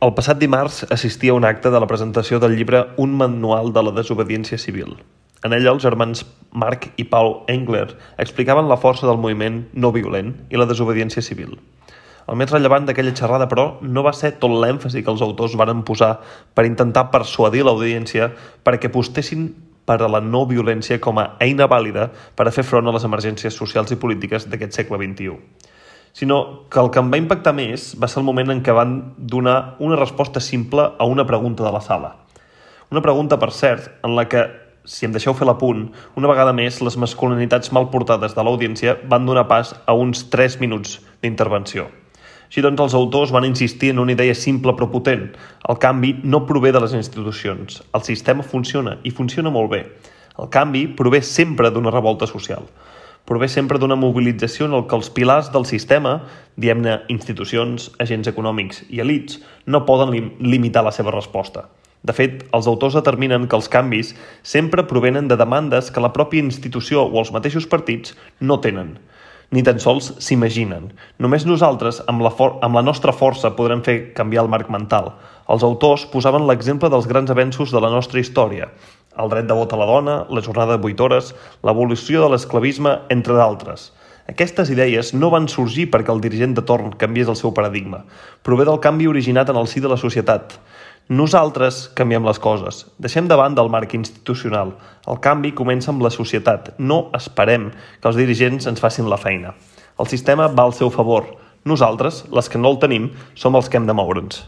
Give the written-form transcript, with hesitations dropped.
El passat dimarts assistia a un acte de la presentació del llibre Un manual de la desobediència civil. En ell els germans Marc i Paul Engler explicaven la força del moviment no violent i la desobediència civil. El més rellevant d'aquella xerrada, però, no va ser tot l'èmfasi que els autors varen posar per intentar persuadir l'audiència perquè apostessin per a la no violència com a eina vàlida per a fer front a les emergències socials i polítiques d'aquest segle XXI. Sinó que el que em va impactar més va ser el moment en què van donar una resposta simple a una pregunta de la sala. Una pregunta, per cert, en la que, si em deixeu fer l'apunt, una vegada més les masculinitats mal portades de l'audiència van donar pas a uns 3 minuts d'intervenció. Així doncs, els autors van insistir en una idea simple però potent. El canvi no prové de les institucions. El sistema funciona, i funciona molt bé. El canvi prové sempre d'una revolta social. Prové sempre d'una mobilització en què els pilars del sistema, diguem-ne institucions, agents econòmics i elits, no poden limitar la seva resposta. De fet, els autors determinen que els canvis sempre provenen de demandes que la pròpia institució o els mateixos partits no tenen, ni tan sols s'imaginen. Només nosaltres, amb la nostra força, podrem fer canviar el marc mental. Els autors posaven l'exemple dels grans avenços de la nostra història, el dret de vot a la dona, la jornada de 8 hores, l'abolició de l'esclavisme, entre d'altres. Aquestes idees no van sorgir perquè el dirigent de torn canviés el seu paradigma. Prové del canvi originat en el si de la societat. Nosaltres canviem les coses. Deixem de banda el marc institucional. El canvi comença amb la societat. No esperem que els dirigents ens facin la feina. El sistema va al seu favor. Nosaltres, les que no el tenim, som els que hem de moure'ns.